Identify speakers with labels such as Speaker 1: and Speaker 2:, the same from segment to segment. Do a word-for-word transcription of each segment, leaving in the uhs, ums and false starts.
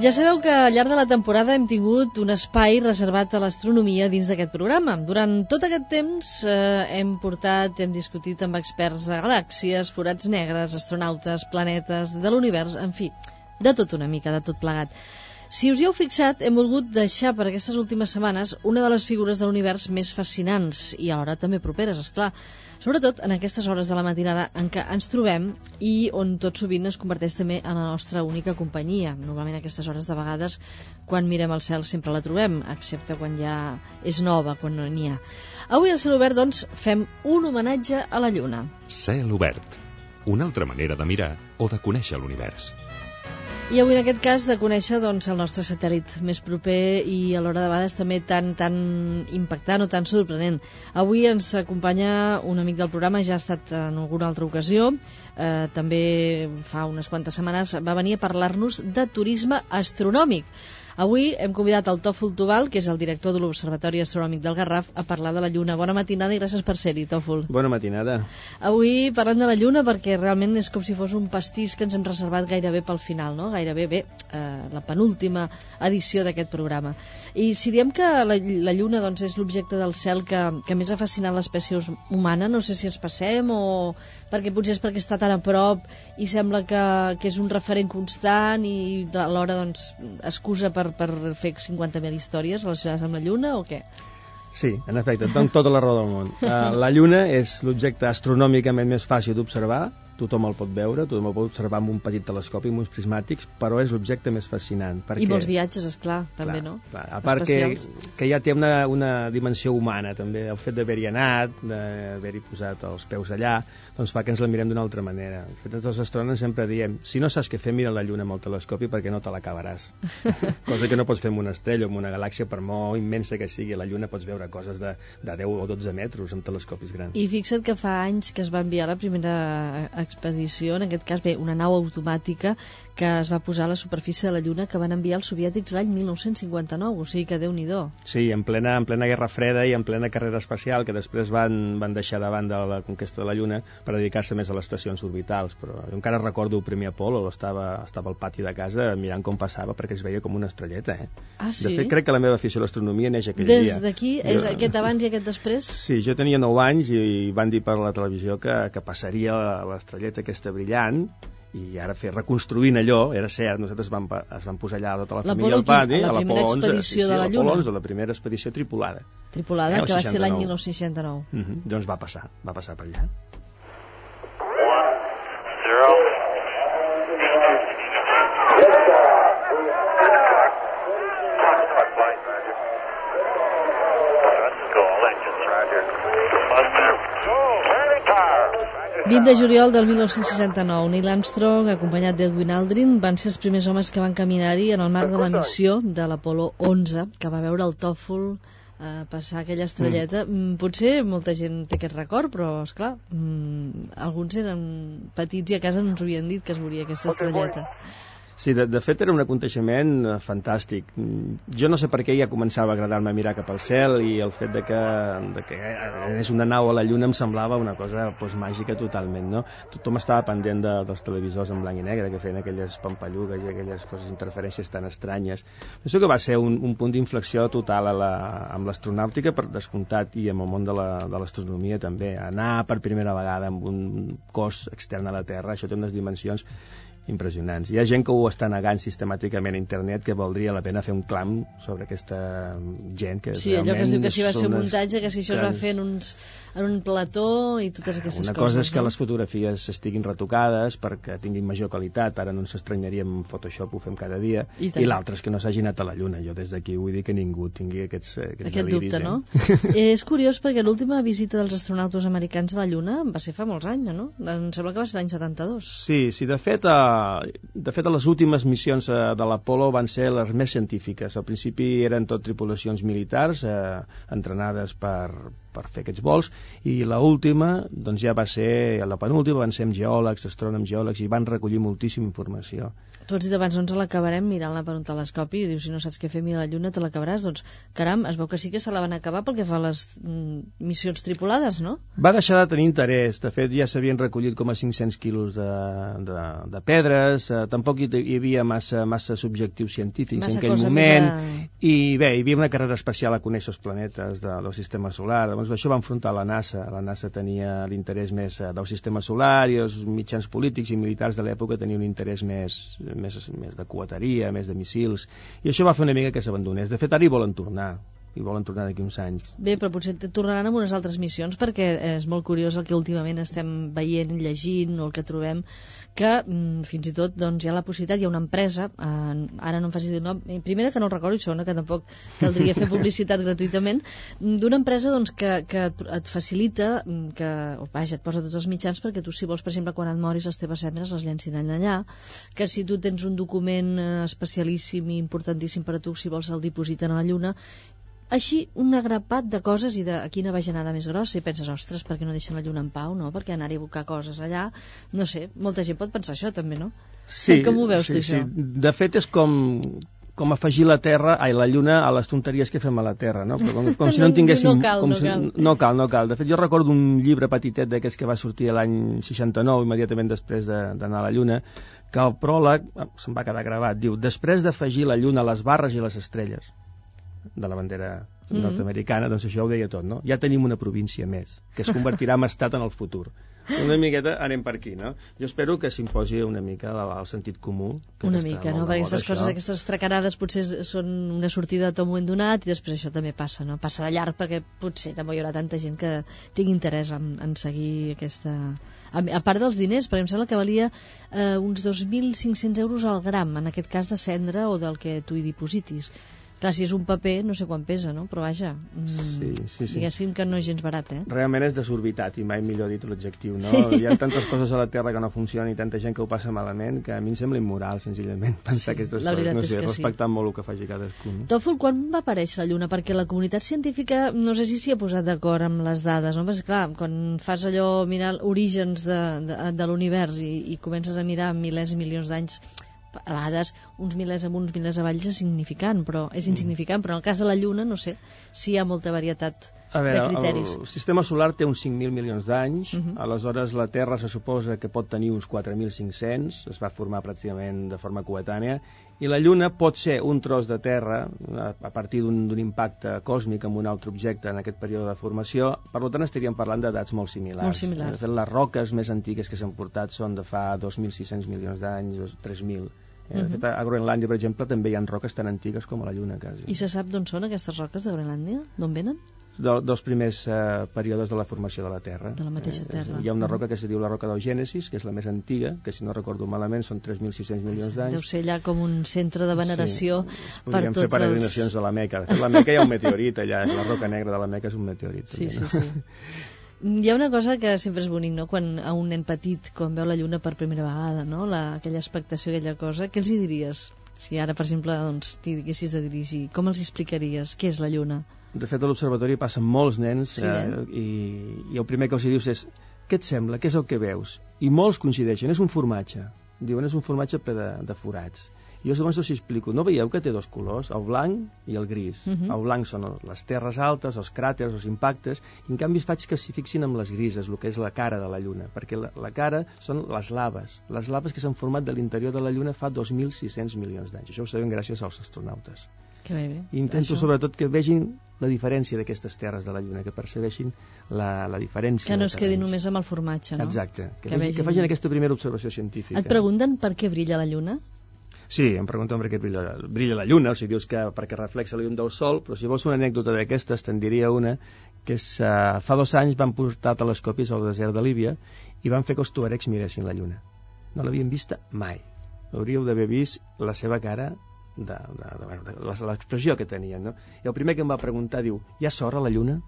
Speaker 1: Ja sabeu que al llarg de la temporada hem tingut un espai reservat a l'astronomia dins d'aquest programa. Durant tot aquest temps eh, hem portat, hem discutit amb experts de galàxies, forats negres, astronautes, planetes, de l'univers, en fi, de tot una mica, de tot plegat. Si us hi heu fixat, hem volgut deixar per aquestes últimes setmanes una de les figures de l'univers més fascinants i alhora també properes, esclar, sobretot en aquestes hores de la matinada en què ens trobem i on tot sovint es converteix també en la nostra única companyia. Normalment a aquestes hores de vegades, quan mirem al cel sempre la trobem, excepte quan ja és nova, quan no n'hi ha. Avui al Cel Obert, doncs, fem un homenatge a la Lluna.
Speaker 2: Cel Obert, una altra manera de mirar o de conèixer l'univers.
Speaker 1: I avui en aquest cas de conèixer doncs, el nostre satèl·lit més proper i alhora de vegades també tan, tan impactant o tan sorprenent. Avui ens acompanya un amic del programa, ja ha estat en alguna altra ocasió, eh, també fa unes quantes setmanes va venir a parlar-nos de turisme astronòmic. Avui hem convidat el Tòfol Tubal, que és el director de l'Observatori Astronòmic del Garraf, a parlar de la Lluna. Bona matinada i gràcies per ser-hi, Tòfol.
Speaker 3: Bona matinada.
Speaker 1: Avui parlem de la Lluna perquè realment és com si fos un pastís que ens hem reservat gairebé pel final, no? Gairebé bé, eh, la penúltima edició d'aquest programa. I si diem que la, la Lluna doncs, és l'objecte del cel que, que més ha fascinat l'espècie humana, no sé si ens passem o perquè potser és perquè està tan a prop i sembla que, que és un referent constant i alhora doncs, excusa per per fer cinquanta mil històries relacionades amb la Lluna o què?
Speaker 3: Sí, en efecte, et dono tota la raó del món. Uh, la Lluna és l'objecte astronòmicament més fàcil d'observar, tothom el pot veure, tothom el pot observar amb un petit telescopi, amb uns prismàtics, però és l'objecte més fascinant. Perquè...
Speaker 1: I molts viatges, esclar, també,
Speaker 3: clar,
Speaker 1: no?
Speaker 3: Clar. A part que, que ja té una, una dimensió humana, també. El fet d'haver-hi anat, d'haver-hi posat els peus allà, doncs fa que ens la mirem d'una altra manera. De fet, els astrònoms sempre diem, si no saps què fer, mira la Lluna amb el telescopi perquè no te l'acabaràs. Cosa que no pots fer amb una estrella o amb una galàxia, per molt immensa que sigui. A la Lluna pots veure coses de, de deu o dotze metres amb telescopis grans.
Speaker 1: I fixa't que fa anys que es va enviar la primera expedició, en aquest cas, bé, una nau automàtica que es va posar a la superfície de la Lluna que van enviar els soviètics l'any mil nou-cents cinquanta-nou, o sigui que Déu-n'hi-do.
Speaker 3: Sí, en plena, en plena Guerra Freda i en plena carrera espacial, que després van, van deixar de banda la conquesta de la Lluna per dedicar-se més a les estacions orbitals, però jo encara recordo el primer Apolo, estava, estava al pati de casa mirant com passava perquè es veia com una estrelleta, eh?
Speaker 1: Ah, sí?
Speaker 3: De fet, crec que la meva afició a l'astronomia neix aquell
Speaker 1: Des
Speaker 3: dia.
Speaker 1: Des d'aquí? Jo... És aquest abans i aquest després?
Speaker 3: Sí, jo tenia nou anys i van dir per la televisió que, que passaria l'estrelleta aquesta brillant i ara fer reconstruint allò, era cert, nosaltres vam, es van posar allà tota la família al pati,
Speaker 1: a la primera expedició de la Lluna.
Speaker 3: La primera expedició tripulada.
Speaker 1: Tripulada, eh, que va ser l'any mil nou-cents seixanta-nou.
Speaker 3: Uh -huh. Doncs va passar, va passar per allà.
Speaker 1: vint de juliol del mil nou-cents seixanta-nou, Neil Armstrong, acompanyat d'Edwin Aldrin, van ser els primers homes que van caminar-hi en el marc de la missió de l'Apolo onze, que va veure el Tòfol eh, passar aquella estrelleta. Mm. Potser molta gent té aquest record, però, esclar, mm, alguns eren petits i a casa no ens havien dit que es veuria aquesta estrelleta.
Speaker 3: Sí, de, de fet era un aconteixement eh, fantàstic. Jo no sé per què ja començava a agradar-me mirar cap al cel i el fet de que, de que és una nau a la Lluna em semblava una cosa pues, màgica totalment, no? Tothom estava pendent de, dels televisors en blanc i negre que feien aquelles pampallugues i aquelles coses, interferències tan estranyes. Penso que va ser un, un punt d'inflexió total a la, amb l'astronàutica, per descomptat, i amb el món de l'astronomia també. Anar per primera vegada amb un cos extern a la Terra, això té unes dimensions impressionants. Hi ha gent que ho està negant sistemàticament a internet, que valdria la pena fer un clam sobre aquesta gent que
Speaker 1: sí, allò que es diu que si va ser un muntatge, que si això es va fer en, uns, en un plató i totes aquestes
Speaker 3: una
Speaker 1: coses.
Speaker 3: Una cosa és que
Speaker 1: no?
Speaker 3: les fotografies estiguin retocades perquè tinguin major qualitat, ara no ens estranyaríem amb Photoshop, ho fem cada dia, i, i l'altre és que no s'hagi anat a la Lluna. Jo des d'aquí vull dir que ningú tingui aquests, aquests
Speaker 1: aquest
Speaker 3: deliris,
Speaker 1: dubte,
Speaker 3: eh?
Speaker 1: no? eh, és curiós perquè l'última visita dels astronautes americans a la Lluna va ser fa molts anys, no? Em sembla que va ser l'any setanta-dos.
Speaker 3: Sí, sí, de fet eh, de fet les últimes missions eh, de l'Apolo van ser les més científiques. Al principi eren tot tripulacions militars eh, entrenades per per fer aquests vols, i l'última doncs ja va ser, la penúltima van ser amb geòlegs, astrònoms, geòlegs, i van recollir moltíssima informació.
Speaker 1: Tu has dit abans, doncs l'acabarem mirant-la per un telescopi, i dius, si no saps què fer, mira la Lluna, te l'acabaràs. Doncs, caram, es veu que sí que se la van acabar pel que fa a les mm, missions tripulades, no?
Speaker 3: Va deixar de tenir interès. De fet, ja s'havien recollit com a cinc-cents quilos de, de, de pedres, eh, tampoc hi, hi havia massa, massa subjectius científics massa en aquell moment, a... i bé, hi havia una carrera espacial a conèixer els planetes de, del sistema solar. Llavors, això va enfrontar la NASA. La NASA tenia l'interès més del sistema solar, i els mitjans polítics i militars de l'època tenien un interès més, més, més de coeteria, més de missils, i això va fer una mica que s'abandonés. De fet, ara hi volen tornar, i volen tornar d'aquí uns anys.
Speaker 1: Bé, però potser tornaran amb unes altres missions, perquè és molt curiós el que últimament estem veient, llegint, o el que trobem, que mm, fins i tot doncs, hi ha la possibilitat, hi ha una empresa, eh, ara no em facis dir nom, primera que no el recordo, i segona que tampoc caldria fer publicitat gratuïtament, d'una empresa doncs, que, que et facilita, que, o vaja, et posa tots els mitjans perquè tu, si vols, per exemple, quan et moris, les teves cendres les llencin allà, que si tu tens un document especialíssim i importantíssim per a tu, si vols, el dipositen a la Lluna. Així, un agrapat de coses, i de quina bajanada més grossa, i penses, ostres, per què no deixen la Lluna en pau, no? Per què anar a buscar coses allà? No sé, molta gent pot pensar això també, no?
Speaker 3: Sí,
Speaker 1: com ho veus
Speaker 3: sí,
Speaker 1: tu,
Speaker 3: sí.
Speaker 1: això?
Speaker 3: De fet, és com, com afegir la Terra, ai, la Lluna a les tonteries que fem a la Terra, no? Com, com si no en tinguéssim...
Speaker 1: No cal,
Speaker 3: com
Speaker 1: no
Speaker 3: si,
Speaker 1: cal.
Speaker 3: No cal, no cal. De fet, jo recordo un llibre petitet d'aquests que va sortir l'any seixanta-nou, immediatament després d'anar de, a la Lluna, que el pròleg, se'n va quedar gravat, diu, després d'afegir la Lluna a les barres i les estrelles de la bandera nord-americana, doncs això ho deia tot, no? Ja tenim una província més, que es convertirà en estat en el futur. Una miqueta anem per aquí, no? Jo espero que s'imposi una mica el sentit comú.
Speaker 1: Una mica, no? Perquè aquestes coses, aquestes tracarades potser són una sortida a tot moment donat, i després això també passa, no? Passa de llarg, perquè potser també hi haurà tanta gent que tingui interès en, en seguir aquesta... A, a part dels diners, perquè em sembla que valia eh, uns dos mil cinc-cents euros al gram, en aquest cas de cendra o del que tu hi dipositis. Clar, si és un paper, no sé quan pesa, no? Però vaja, mm,
Speaker 3: sí, sí, sí.
Speaker 1: diguéssim que no és gens barat, eh?
Speaker 3: Realment és desorbitat, i mai millor dit l'adjectiu, no? Sí. Hi ha tantes coses a la Terra que no funcionen i tanta gent que ho passa malament, que a mi em sembla immoral, senzillament, pensar sí, aquestes coses. No sé, respectant sí. molt el que faci cadascú. No?
Speaker 1: Tòfol, quan va aparèixer la Lluna? Perquè la comunitat científica, no sé si s'hi ha posat d'acord amb les dades, no? Perquè, clar, quan fas allò, mirar orígens de, de, de l'univers i, i comences a mirar milers i milions d'anys, a vegades uns milers amunt, uns milers avall és insignificant, però és insignificant, però en el cas de la Lluna no sé si hi ha molta varietat
Speaker 3: a veure,
Speaker 1: de criteris.
Speaker 3: El sistema solar té uns cinc mil milions d'anys, uh -huh. aleshores la Terra se suposa que pot tenir uns quatre mil cinc-cents, es va formar pràcticament de forma coetània, i la Lluna pot ser un tros de terra a partir d'un impacte còsmic amb un altre objecte en aquest període de formació. Per tant, estaríem parlant d'edats molt similars.
Speaker 1: Molt similar.
Speaker 3: De fet, les roques més antigues que s'han portat són de fa dos mil sis-cents milions d'anys, tres mil. Eh, de fet, a Groenlàndia, per exemple, també hi ha roques tan antigues com a la Lluna, quasi.
Speaker 1: I se sap d'on són aquestes roques de Groenlàndia? D'on venen?
Speaker 3: De, dels primers eh, períodes de la formació de la Terra.
Speaker 1: De la mateixa Terra.
Speaker 3: Eh, hi ha una roca que se diu la roca d'Eugènesis, que és la més antiga, que si no recordo malament són tres mil sis-cents milions d'anys.
Speaker 1: Deu ser allà com un centre de veneració
Speaker 3: sí.
Speaker 1: per tots els...
Speaker 3: Podríem fer peregrinacions els... a la Meca. De fet, la Meca hi ha un meteorit allà, la roca negra de la Meca és un meteorit.
Speaker 1: Sí,
Speaker 3: també,
Speaker 1: sí,
Speaker 3: no?
Speaker 1: sí. Hi ha una cosa que sempre és bonic, no? Quan a un nen petit, quan veu la Lluna per primera vegada, no? La, aquella expectació, aquella cosa, què els hi diries? Si ara, per exemple, doncs, t'hi diguessis de dirigir, com els explicaries? Què és la Lluna?
Speaker 3: De fet, a l'observatori passen molts nens,
Speaker 1: sí, eh?
Speaker 3: eh, i, i el primer que els dius és què et sembla? Què és el que veus? I molts coincideixen, és un formatge. Diuen, és un formatge ple de, de forats. I jo llavors us explico, no veieu que té dos colors, el blanc i el gris? Uh -huh. El blanc són les terres altes, els cràters, els impactes, i en canvi faig que s'hi fixin amb les grises, el que és la cara de la Lluna, perquè la, la cara són les laves, les laves que s'han format de l'interior de la Lluna fa dos mil sis-cents milions d'anys. Això ho sabem gràcies als astronautes.
Speaker 1: Que bé, bé.
Speaker 3: I intento, això, sobretot, que vegin la diferència d'aquestes terres de la Lluna, que percebeixin la, la diferència.
Speaker 1: Que no es quedi només amb el formatge, no?
Speaker 3: Exacte, que,
Speaker 1: que,
Speaker 3: vegin,
Speaker 1: vegin...
Speaker 3: que facin aquesta primera observació científica.
Speaker 1: Et pregunten per què brilla la Lluna?
Speaker 3: Sí, em pregunten per què brilla, brilla la Lluna, o sigui, dius que perquè reflexa la llum del Sol, però si vols una anècdota d'aquestes, te'n diria una, que és, uh, fa dos anys van portar telescopis al desert de Líbia i van fer que els tuaregs miressin la Lluna. No l'havien vista mai. Hauríeu d'haver vist la seva cara, de, de, de, de, de l'expressió que tenien, no? I el primer que em va preguntar diu, hi ha sorra a la Lluna?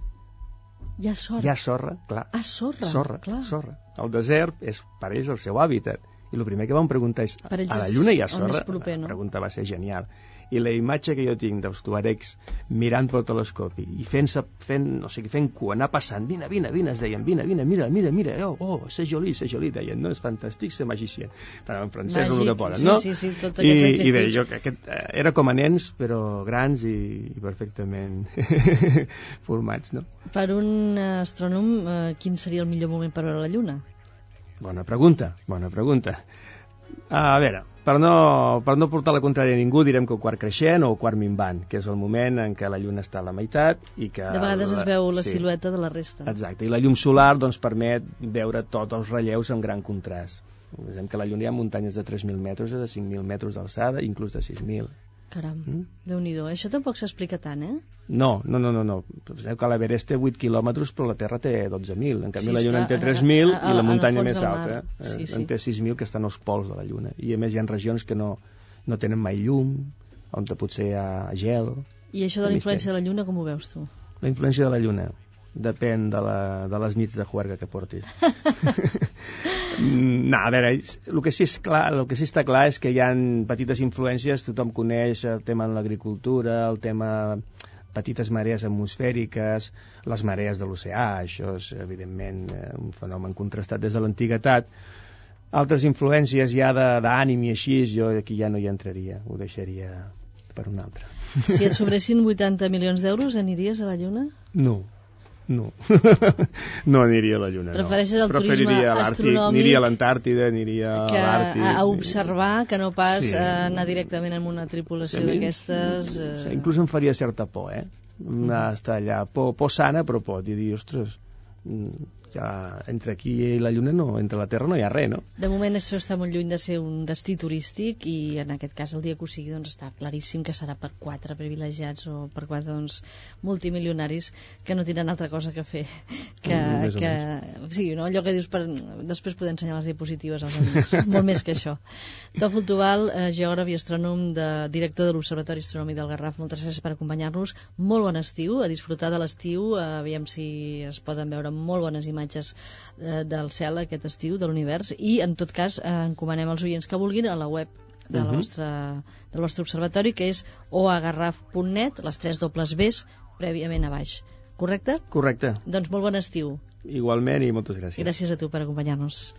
Speaker 1: Hi ha sorra?
Speaker 3: Hi ha sorra, clar.
Speaker 1: Ah, sorra,
Speaker 3: sorra,
Speaker 1: clar.
Speaker 3: sorra. El desert és per ells el seu hàbitat. I el primer que vam preguntar és, a la Lluna hi ha sorra?
Speaker 1: Proper, no?
Speaker 3: La pregunta va ser genial. i la imatge que jo tinc dels tuaregs mirant pel telescopi i fent, fent, o sigui, fent cua, anar passant, vine, vine, vine, es deien, vine, vine, mira, mira, mira, oh, oh, c'est joli, c'est joli, deien, no, és fantàstic, c'est magicien, però en francès és el que poden, no?
Speaker 1: Sí, sí, sí, tots
Speaker 3: I,
Speaker 1: aquests adjectius.
Speaker 3: I bé, jo, aquest, era com a nens, però grans i, i perfectament formats, no?
Speaker 1: Per un astrònom, eh, quin seria el millor moment per veure la Lluna?
Speaker 3: Bona pregunta, bona pregunta. A veure, per no, per no portar la contrària a ningú, direm que el quart creixent o el quart minvant, que és el moment en què la lluna està a la meitat i que...
Speaker 1: De vegades
Speaker 3: la,
Speaker 1: es veu la
Speaker 3: sí,
Speaker 1: silueta de la resta.
Speaker 3: Exacte, i la llum solar doncs, permet veure tots els relleus amb gran contrast. Vegem que a la lluna hi ha muntanyes de tres mil metres o de cinc mil metres d'alçada, inclús de sis mil.
Speaker 1: Caram,
Speaker 3: Mm?
Speaker 1: Déu-n'hi-do. Això tampoc s'explica tant, eh?
Speaker 3: No, no, no, no, no. Sabeu que l'Everest té vuit quilòmetres però la Terra té dotze mil. En canvi
Speaker 1: Sí,
Speaker 3: la Lluna en té
Speaker 1: esclar,
Speaker 3: tres mil
Speaker 1: a- a-
Speaker 3: i la
Speaker 1: en el
Speaker 3: muntanya
Speaker 1: fons
Speaker 3: més
Speaker 1: del
Speaker 3: alta
Speaker 1: mar.
Speaker 3: eh,
Speaker 1: Sí, sí.
Speaker 3: en té sis mil, que estan als pols de la Lluna. I a més hi ha regions que no, no tenen mai llum, on potser hi ha gel.
Speaker 1: I això de la influència de la Lluna, com ho veus tu?
Speaker 3: La influència de la Lluna depèn de, la, de les nits de juerga que portis. No, a veure, el que, sí és clar, el que sí està clar és que hi ha petites influències, tothom coneix el tema de l'agricultura, el tema petites marees atmosfèriques, les marees de l'oceà, això és evidentment un fenomen contrastat des de l'antiguitat. Altres influències ja d'ànim i així, jo aquí ja no hi entraria, ho deixaria per un altre.
Speaker 1: Si et sobressin vuitanta milions d'euros, aniries a la Lluna?
Speaker 3: No. No, no aniria a la Lluna.
Speaker 1: Prefereixes
Speaker 3: no.
Speaker 1: el turisme
Speaker 3: Preferiria l'Àrtic,
Speaker 1: astronòmic
Speaker 3: aniria a l'Antàrtida, aniria
Speaker 1: que
Speaker 3: a l'Àrtic.
Speaker 1: a observar, que no pas
Speaker 3: Sí.
Speaker 1: a anar directament en una tripulació
Speaker 3: Sí,
Speaker 1: d'aquestes...
Speaker 3: sí,
Speaker 1: Eh...
Speaker 3: inclús em faria certa por, eh? Anar a estar allà, por, por sana, però por, i dir, ostres, ja entre aquí i la Lluna, no, entre la Terra no hi ha res, no?
Speaker 1: De moment això està molt lluny de ser un destí turístic i en aquest cas el dia que ho sigui doncs està claríssim que serà per quatre privilegiats o per quatre doncs, multimilionaris que no tindran altra cosa que fer que,
Speaker 3: Mm, més o
Speaker 1: que sí, no? Allò que dius per després poder ensenyar les diapositives als amics, molt més que això. Tòfol Tubal, eh, geògraf i astrònom de, director de l'Observatori Astronòmic del Garraf, moltes gràcies per acompanyar-nos, molt bon estiu, a disfrutar de l'estiu, eh, aviam si es poden veure molt bones imatges eh, del cel aquest estiu, de l'univers, i en tot cas eh, encomanem als oients que vulguin a la web de la
Speaker 3: Uh-huh.
Speaker 1: vostra, del vostre observatori, que és o a garraf punt net, les tres dobles Bs prèviament a baix, correcte?
Speaker 3: Correcte.
Speaker 1: Doncs molt bon estiu.
Speaker 3: Igualment i moltes gràcies.
Speaker 1: Gràcies a tu per acompanyar-nos.